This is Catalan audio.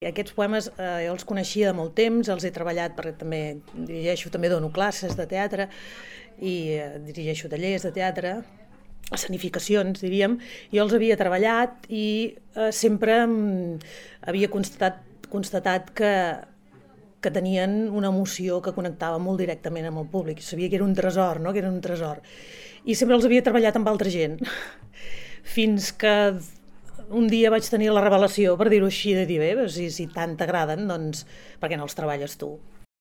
Aquests poemes jo els coneixia de molt temps, els he treballat perquè també dono classes de teatre i dirigeixo tallers de teatre, escenificacions, diríem. Jo els havia treballat i sempre havia constatat que tenien una emoció que connectava molt directament amb el públic. Sabia que era un tresor, no? Que era un tresor. I sempre els havia treballat amb altra gent, fins que un dia vaig tenir la revelació, per dir-ho així, de dir, bé, si tant t'agraden, doncs per què no els treballes tu?